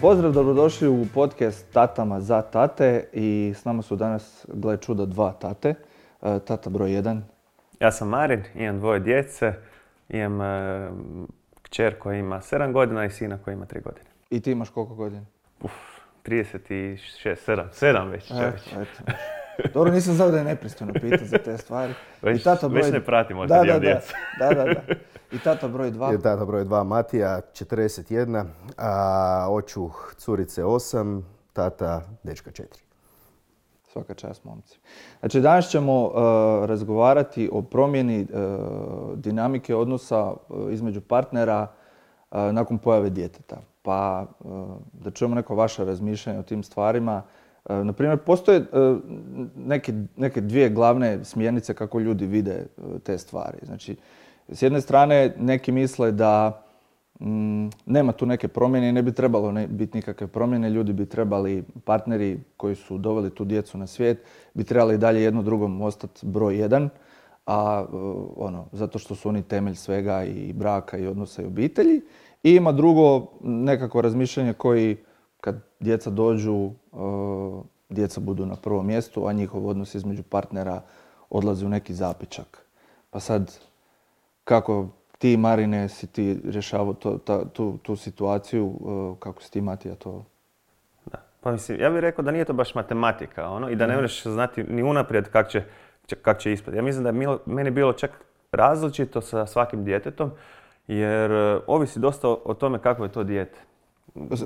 Pozdrav, dobrodošli u podcast Tatama za tate i s nama su danas, gle čuda, dva tate. Tata broj 1. Ja sam Marin, imam 2 djece, imam kćer koja ima 7 godina i sina koji ima 3 godine. I ti imaš koliko godina? 36, 7 već čovječ. Dobro, nisam znao da je nepristojno pitati za te stvari. Već ne pratimo što djel djeca. Da. I tata broj 2. Tata broj 2, Matija, 41, očuh curice 8, tata dečka 4. Svaka čast, momci. Znači, danas ćemo razgovarati o promjeni dinamike odnosa između partnera nakon pojave djeteta. Pa da čujemo neko vaše razmišljanje o tim stvarima. Naprimjer, postoje neke dvije glavne smjernice kako ljudi vide te stvari. Znači, s jedne strane, neki misle da nema tu neke promjene i ne bi trebalo biti nikakve promjene. Ljudi bi trebali, partneri koji su doveli tu djecu na svijet, bi trebali dalje jedno drugom ostati broj 1, zato što su oni temelj svega i braka i odnosa i obitelji. I ima drugo nekako razmišljanje koji kad djeca dođu, djeca budu na prvom mjestu, a njihov odnos između partnera odlazi u neki zapičak. Pa sad, kako ti, Marine, si ti rješavao tu situaciju, kako si ti, Matija, to? Da. Pa mislim, ja bih rekao da nije to baš matematika, i da ne možeš znati ni unaprijed kak će ispati. Ja mislim da je meni bilo čak različito sa svakim djetetom, jer ovisi dosta o tome kako je to dijete.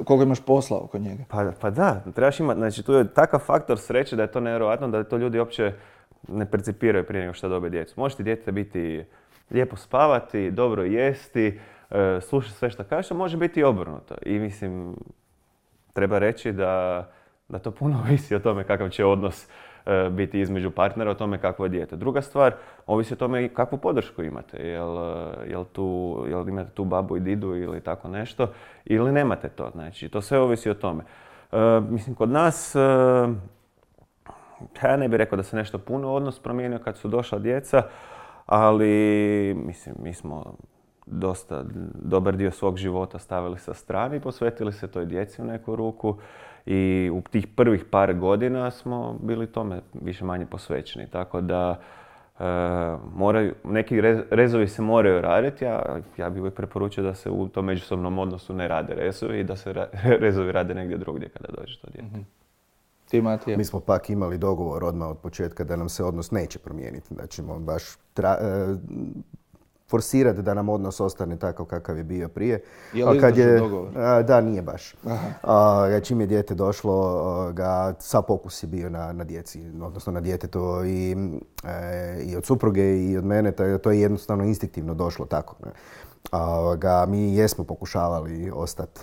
Koliko imaš posla oko njega? Pa da, trebaš imati, znači tu je takav faktor sreće da je to nevjerojatno, da to ljudi uopće ne percipiraju prije nego što dobe djecu. Može ti dijete biti lijepo spavati, dobro jesti, slušati sve što kažeš, a može biti i obrnuto. I mislim, treba reći da to puno ovisi o tome kakav će odnos biti između partnera, o tome kakvo je dijete. Druga stvar, ovisi o tome kakvu podršku imate. Jel imate tu babu i didu ili tako nešto, ili nemate to. Znači, to sve ovisi o tome. Mislim, kod nas, ja ne bih rekao da se nešto puno odnos promijenio kad su došla djeca, ali mislim, mi smo dosta dobar dio svog života stavili sa strane i posvetili se toj djeci u neku ruku. I u tih prvih par godina smo bili tome više manje posvećeni. Tako da neki rezovi se moraju raditi. Ja bih uvijek preporučio da se u tom međusobnom odnosu ne rade rezovi i da se rezovi rade negdje drugdje kada dođe to dijete. Mm-hmm. Ti, Matija? Mi smo pak imali dogovor odmah od početka da nam se odnos neće promijeniti. Da ćemo baš forsirati da nam odnos ostane takav kakav je bio prije. Je li izdržao dogovor? Da, nije baš. Čim je dijete došlo, sav fokus je bio na djeci, odnosno na djetetu i od supruge i od mene. To je jednostavno instinktivno došlo tako. Mi jesmo pokušavali ostati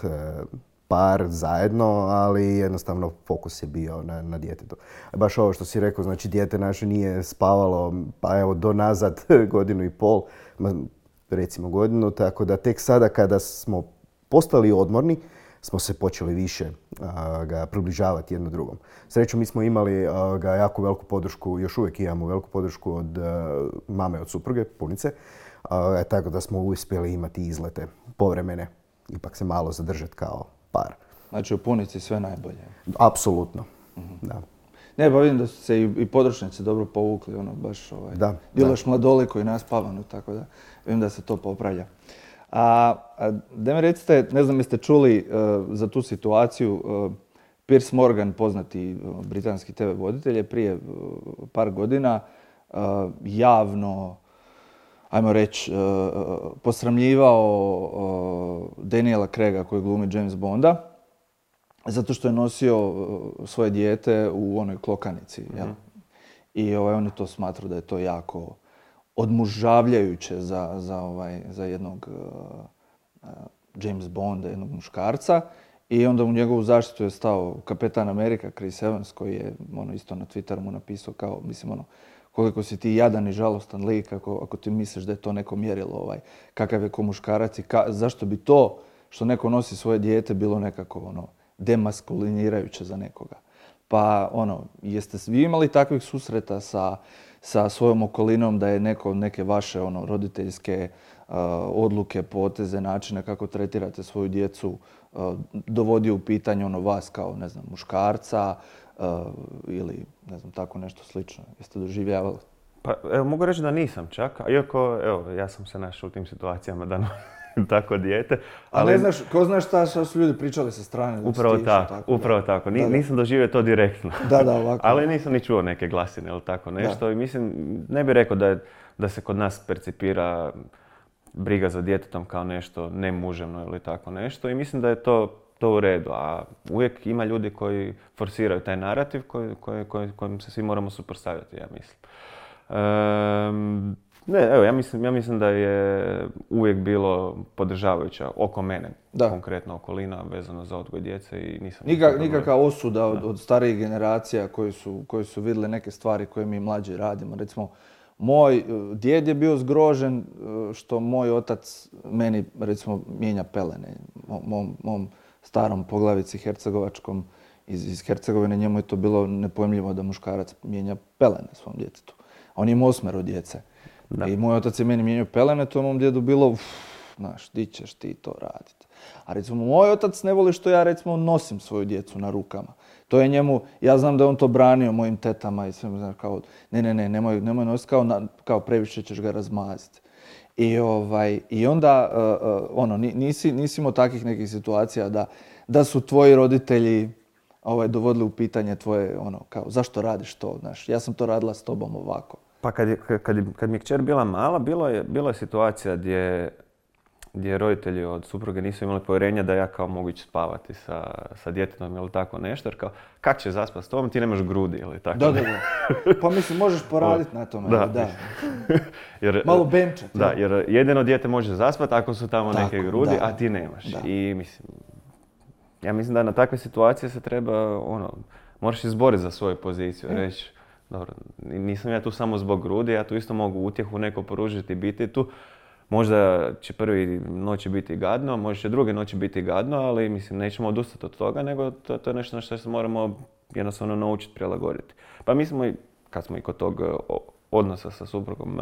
par zajedno, ali jednostavno fokus je bio na djetetu. Baš ovo što si rekao, znači dijete naše nije spavalo, pa evo do nazad 1.5 godine, recimo godinu, tako da tek sada kada smo postali odmorni, smo se počeli više približavati jedno drugom. Srećom, mi smo imali jako veliku podršku, još uvijek imamo veliku podršku od mame, od supruge, punice, tako da smo uspjeli imati izlete povremene, ipak se malo zadržati kao par. Znači u punici sve najbolje? Apsolutno, da. Ne, pa vidim da su se i područnici dobro povukli, baš djelaš mladoliko i naspavano, tako da vidim da se to popravlja. Da mi recite, ne znam jeste čuli za tu situaciju, Piers Morgan, poznati britanski TV voditelj, je prije par godina javno, ajmo reći, posramljivao Daniela Craiga koji glumi James Bonda, zato što je nosio svoje dijete u onoj klokanici. Jel? I on je to smatrao da je to jako odmužavljajuće za jednog James Bonda, jednog muškarca. I onda u njegovu zaštitu je stao Kapetan Amerika, Chris Evans, koji je isto na Twitteru mu napisao kao, koliko si ti jadan i žalostan lik ako ti misliš da je to neko mjerilo, kakav je ko muškarac i zašto bi to što neko nosi svoje dijete bilo nekako demaskulinirajuće za nekoga. Pa jeste vi imali takvih susreta sa sa svojom okolinom, da je neke vaše roditeljske odluke, poteze, načine kako tretirate svoju djecu dovodi u pitanje vas kao, ne znam, muškarca ili, ne znam, tako nešto slično. Jeste doživljavali? Pa evo, mogu reći da nisam čak, iako evo, ja sam se našao u tim situacijama da tako dijete. Ali ne znaš, ko znaš šta su ljudi pričali sa strane? Upravo tako. Nisam doživio to direktno. Da, ovako. Ali nisam ni čuo neke glasine ili tako nešto. Da. I mislim, ne bih rekao da se kod nas percipira briga za djetetom kao nešto nemuževno ili tako nešto. I mislim da je to u redu. A uvijek ima ljudi koji forsiraju taj narativ kojim se svi moramo suprotstavljati, ja mislim. Ja mislim da je uvijek bilo podržavajuća oko mene, konkretno okolina vezano za odgoj djece i nisam... Nikakva osuda od starijih generacija koji su vidjeli neke stvari koje mi mlađi radimo. Recimo, moj djed je bio zgrožen što moj otac meni, recimo, mijenja pelene. Mom starom poglavici hercegovačkom iz Hercegovine, njemu je to bilo nepojmljivo da muškarac mijenja pelene svom djetetu. On ima 8 djece. Da. I moj otac je meni mijenjao pelene, to je mom djedu bilo, znaš, di ćeš ti to raditi. A recimo, moj otac ne voli što ja, recimo, nosim svoju djecu na rukama. To je njemu, ja znam da je on to branio mojim tetama i sve, znaš, kao, nemoj nositi, kao previše ćeš ga razmaziti. I onda, nisi imao takvih nekih situacija da su tvoji roditelji dovodili u pitanje tvoje, kao, zašto radiš to, znaš, ja sam to radila s tobom ovako. Pa kad mi je kćer bila mala, bila je situacija gdje roditelji od supruge nisu imali povjerenja da ja kao mogu ići spavati sa djetetom ili tako nešto, jer kao, kak će zaspati s tobom, ti nemaš grudi ili tako. Da. Pa mislim, možeš poraditi na tome. Da. Jer, malo benčat. Da, jer jedino dijete može zaspati ako su tamo neke grudi, a ti nemaš. Da. I ja mislim da na takve situacije se treba, moraš izboriti za svoju poziciju, reći, dobro, nisam ja tu samo zbog grudi, ja tu isto mogu utjehu neko poružiti i biti tu. Možda će prvi noći biti gadno, možda će druge noći biti gadno, ali mislim nećemo odustati od toga, nego to je nešto na što se moramo jednostavno naučiti prilagoditi. Pa mi smo, kad smo i kod tog odnosa sa suprugom,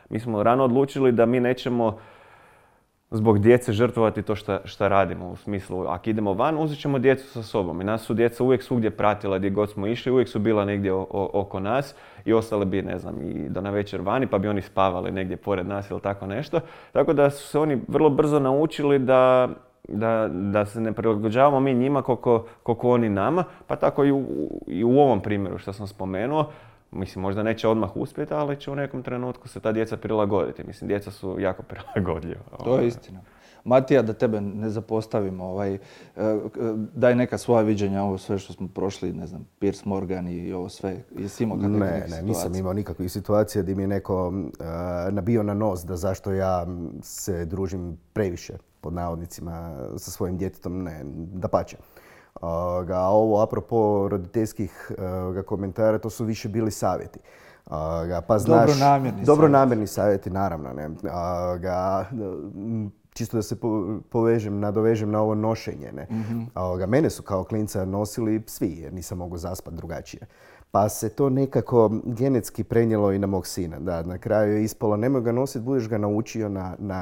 mi smo rano odlučili da mi nećemo zbog djece žrtvovati to šta radimo. U smislu, ako idemo van, uzet ćemo djecu sa sobom. I nas su djeca uvijek svugdje pratila gdje god smo išli, uvijek su bila negdje oko nas i ostale bi, ne znam, i do navečer vani, pa bi oni spavali negdje pored nas ili tako nešto. Tako da su se oni vrlo brzo naučili da se ne prilagođavamo mi njima koliko oni nama, pa tako i u ovom primjeru što sam spomenuo. Mislim, možda neće odmah uspjeti, ali će u nekom trenutku se ta djeca prilagoditi. Mislim, djeca su jako prilagodljiva. To je istina. Matija, da tebe ne zapostavimo, daj neka svoja viđenja, ovo sve što smo prošli, ne znam, Piers Morgan i ovo sve. Jesi imao kakve situacije? Ne, nisam imao nikakvih situacija gdje mi je neko nabio na nos da zašto ja se družim previše, pod navodnicima, sa svojim djetetom. Ne, dapače. Ovo, apropo roditeljskih komentara, to su više bili savjeti. Pa znaš, dobronamjerni savjeti, naravno. Ne. Čisto da se nadovežem na ovo nošenje. Ne. Mene su kao klinca nosili svi, jer nisam mogao zaspati drugačije. Pa se to nekako genetski prenijelo i na mog sina. Da, na kraju je ispalo, nemoj ga nositi, budeš ga naučio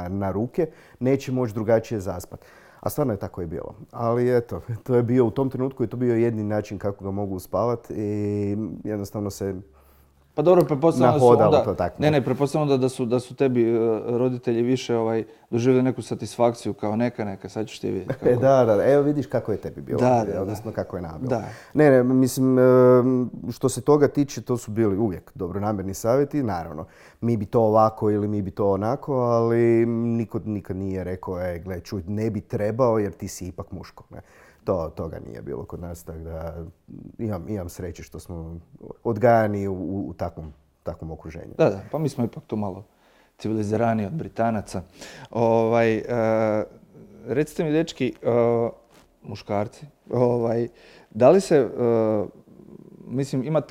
na ruke, neće moći drugačije zaspati. A stvarno je tako i bilo. Ali eto, to je bio u tom trenutku i to bio jedini način kako ga mogu uspavati i jednostavno se pa dobro, pretpostavljamo da da su tebi roditelji više doživjeli neku satisfakciju kao neka, sad ćeš ti vidjeti kako. Da, evo vidiš kako je tebi bilo, odnosno kako je nama bilo. Ne, mislim, što se toga tiče, to su bili uvijek dobronamjerni savjeti, naravno. Mi bi to ovako ili mi bi to onako, ali niko nikad nije rekao, gle, čuj, ne bi trebao jer ti si ipak muško. Ne. Toga nije bilo kod nas, tako da imam sreće što smo odgajani u takvom okruženju. Da, pa mi smo ipak tu malo civiliziraniji od Britanaca. Recite mi, dečki, muškarci, da li se, mislim, ima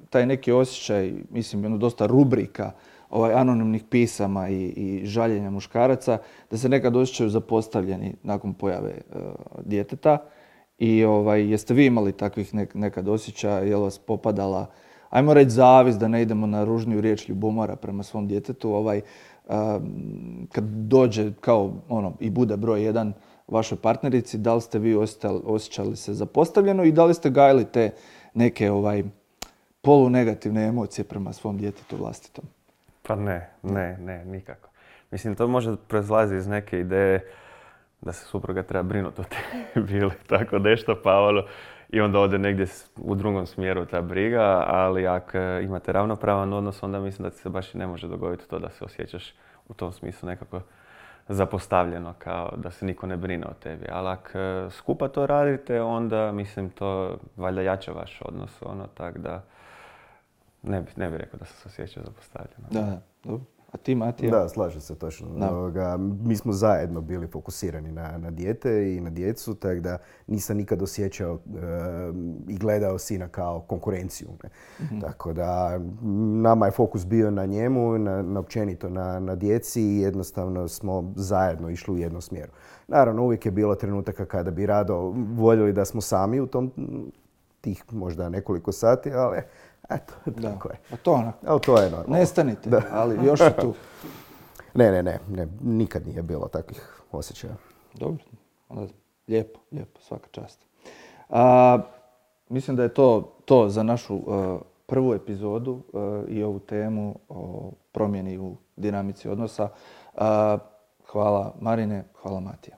taj neki osjećaj, mislim, dosta rubrika, anonimnih pisama i žaljenja muškaraca, da se nekad osjećaju zapostavljeni nakon pojave djeteta. I jeste vi imali takvih nekad osjećaja, je li vas popadala ajmo reći zavis, da ne idemo na ružniju riječ, ljubomora prema svom djetetu, kad dođe kao i bude broj jedan vašoj partnerici, da li ste vi osjećali se zapostavljeno i da li ste gajili te neke polunegativne emocije prema svom djetetu vlastitom? Pa ne, nikako. Mislim, to može proizlazi iz neke ideje da se supruga treba brinuti o tebi ili tako nešto, pa i onda ode negdje u drugom smjeru ta briga, ali ako imate ravnopravan odnos, onda mislim da ti se baš i ne može dogoditi to da se osjećaš u tom smislu nekako zapostavljeno, kao da se niko ne brine o tebi. Ali ako skupa to radite, onda mislim to valjda jača vaš odnos, tako da ne bi rekao da sam se osjećao zapostavljeno. Da, dobro. A ti, Matija? Da, slažem se točno. Mi smo zajedno bili fokusirani na dijete i na djecu, tako da nisam nikad osjećao i gledao sina kao konkurenciju. Ne? Mm-hmm. Tako da nama je fokus bio na njemu, na općenito na djeci i jednostavno smo zajedno išli u jednom smjeru. Naravno, uvijek je bilo trenutaka kada bi rado voljeli da smo sami u tih možda nekoliko sati, ali eto, tako je. A to onako. Ali to je normalno. Nestanite, da. Ali još je tu. Ne, nikad nije bilo takvih osjećaja. Dobro, onda lijepo, svaka čast. Mislim da je to za našu prvu epizodu i ovu temu o promjeni u dinamici odnosa. Hvala Marine, hvala Matija.